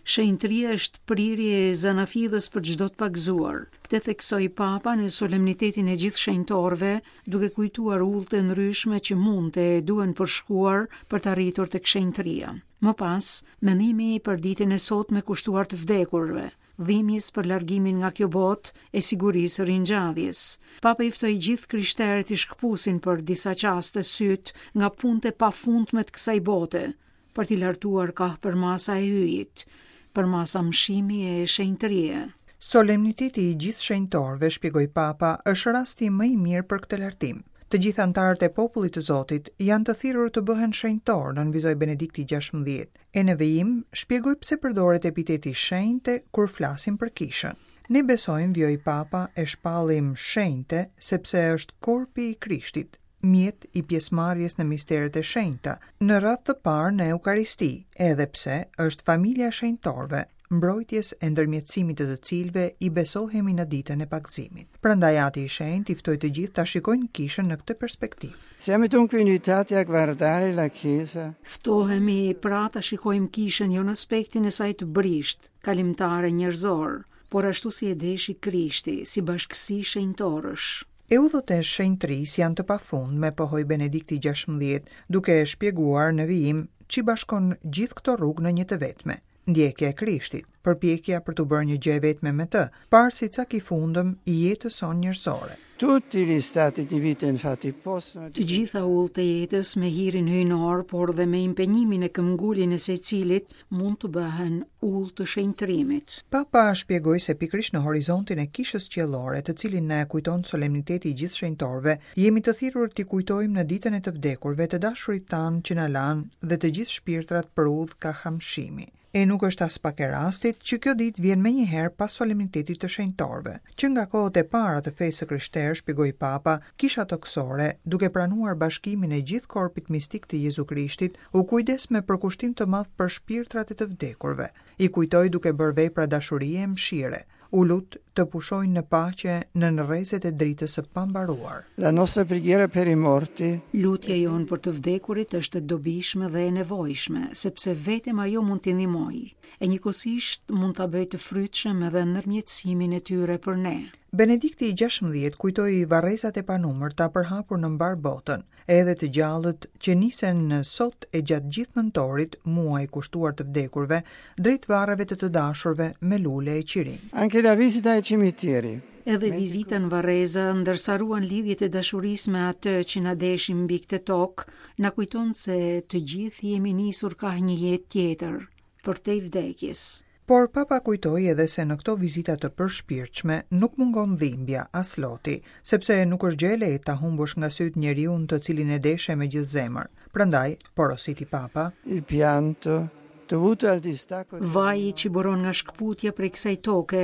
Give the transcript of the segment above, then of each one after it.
Shenjtëria është prirje e zanafillës për çdo të pagëzuar. Këtë theksoi Papa në solemnitetin e gjithë shenjtorëve, duke kujtuar udhët e ndryshme që mund e duhen përshkuar për të arritur tek shenjtëria. Më pas, mendimi për ditën e sotme kushtuar të vdekurve, dhimbjes për largimin nga kjo botë e sigurisë së ringjalljes. Papa i ftoi gjithë krishterët t'i shkëpusin për disa çaste sytë nga punët e pafundme të kësaj bote, për t'i lartuar kah përmasa e Hyjit, përmasa mëshimi e shenjtërie. Solemniteti i gjithë shenjtorëve, shpjegoi Papa, është rasti më i mirë për këtë lartim. Të gjithë anëtarët e popullit të Zotit janë të thirrur të bëhen shenjtorë, nënvizoi Benedikti XVI. E në vijim, shpjegoi pse përdoret epiteti shenjte kur flasim për Kishën. Ne besojmë, vijoi Papa, e shpallim shenjte sepse është korpi i Krishtit, mjet i pjesëmarrjes në misteret e shenjta, në radhë të parë në Eukaristi, edhe pse është familja e shenjtorëve, mbrojtjes e ndërmjetësimit të të cilëve i besohemi në ditën e pagëzimit. Prandaj Ati i Shenjtë i ftoi të gjithë ta shikojnë Kishën në këtë perspektivë. Siamo dunque invitati a guardare la Chiesa. Ftohemi pra ta shikojmë Kishën jo në aspektin e saj të brishtë, kalimtar e njerëzor, por ashtu si e deshi Krishti, si bashkësi shenjtorësh. E udhët e shenjtërisë janë të pafundme, pohoi Benedikti XVI, duke shpjeguar në vijim ç'i bashkon gjithë këto rrugë në një të vetme. Ndjekja e Krishtit, përpjekja për t'u bërë një gjë e vetme me të, parë si cak i fundëm i jetës sonë njerëzore. Tutti gli stati di vita infatti possono Të gjitha udhët e jetës me hirin hyjnor, por dhe me impenjimin e këmbguljen e secilit, mund të bëhen udhë të shenjtërimit. Papa shpjegoi se pikërisht në horizontin e Kishës Qiellore, të cilin na e kujton solemniteti i gjithë shenjtorëve, jemi të thirrur t'i kujtojmë në ditën e të vdekurve të dashurit tanë që na lanë dhe të gjithë shpirtrat për udhë kah amshimi. E nuk është aspak e rastit që kjo ditë vjen menjëherë pas solemnitetit të shenjtorëve. Që nga kohët e para të fesë së krishterë, shpjegoi Papa, Kisha tokësore, duke pranuar bashkimin e gjithë korpit mistik të Jezu Krishtit, u kujdes me përkushtim të madh për shpirtrat e të vdekurve. I kujtoi duke bërë vepra dashurie e mëshire. U lut të pushojnë në paqe nën rrezet e dritës së pambaruar. La nostra preghiera per i morti. Lutja jonë për të vdekurit është e dobishme dhe e nevojshme, sepse vetëm ajo mund t'i ndihmojë, e njëkohësisht mund ta bëjë të frytshëm edhe ndërmjetësimin e tyre për ne. Benedikti i XVI kujtoi varrezat e panumërta përhapur në mbarë botën, edhe të gjallët që nisen sot e gjatë gjithë nëntorit, muaj kushtuar të vdekurve, drejt varreve të të dashurve me lule e qirinj. Anche la visita ai cimiteri. Edhe vizita në varreza, ndërsa ruan lidhjet e dashurisë me atë që na deshi mbi këtë tokë, na kujton se të gjithë jemi nisur kah një jetë tjetër, përtej vdekjes. Por Papa kujtoi edhe se në këto vizita të përshpirtshme nuk mungon dhimbja, as loti, sepse nuk është gjë e lehtë ta humbësh nga sytë njeriun të cilin e deshe me gjithë zemër. Prandaj, porositi Papa, Il pianto, dovuto al distacco Vaji që buron nga shkëputja prej kësaj toke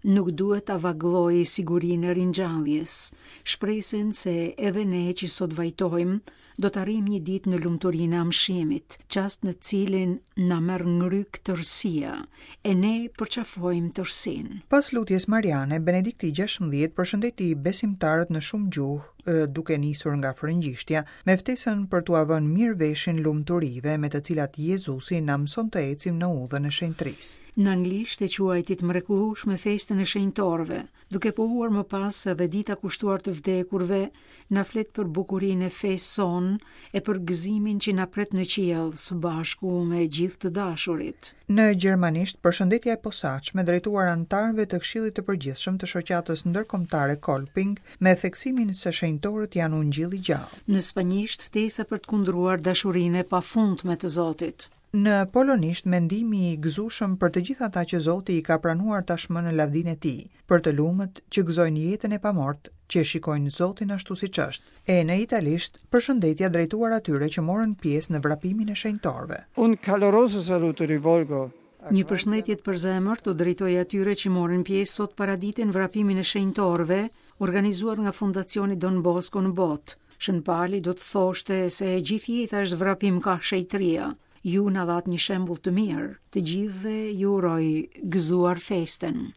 nuk duhet ta vagëllojë sigurinë e ringjalljes, shpresën se edhe ne që sot vajtojmë, do të arrijmë një ditë në lumturinë e amshimit, çast në të cilin na merr ngryk tërësia, e ne përqafojmë tërësinë. Pas lutjes mariane, Benedikti i XVI përshëndeti besimtarët në shumë gjuhë, duke nisur nga frëngjishtja, me ftesën për t'ua vënë mirë veshin lumturive me të cilat Jezusi na mëson të ecim në udhën e shenjtërisë. Në anglisht e quajti të mrekullueshme festën e shenjtorëve, Duke pohuar më pas se dhe dita kushtuar të vdekurve na flet për bukurinë e fesë sonë e për gëzimin që na pret në qiell së bashku me gjithë të dashurit. Në gjermanisht, përshëndetja e posaçme drejtuar anëtarëve të Këshillit të Përgjithshëm të Shoqatës Ndërkombëtare Kolping, me theksimin se shenjtorët janë ungjill i gjallë. Në spanjisht, ftesa për të kundruar dashurinë e pafundme të Zotit. Në polonisht mendimi i gëzueshëm për të gjithë ata që Zoti i ka pranuar tashmë në lavdinë e Tij, për të lumët që gëzojnë jetën e pamortë, që e shikojnë Zotin ashtu siç është. E në italisht, përshëndetja drejtuar atyre që morën pjesë në vrapimin e shenjtorëve. Un caloroso saluto rivolgo a Një përshëndetje të përzemërt u drejtoj atyre që morën pjesë sot paradite në vrapimin e shenjtorëve, organizuar nga Fondacioni Don Bosco në botë. Shën Pali do të thoshte se e gjithë jeta është vrapim kah shenjtëria. Ju na dhatë një shembull të mirë. Të gjithëve ju uroj gëzuar festën.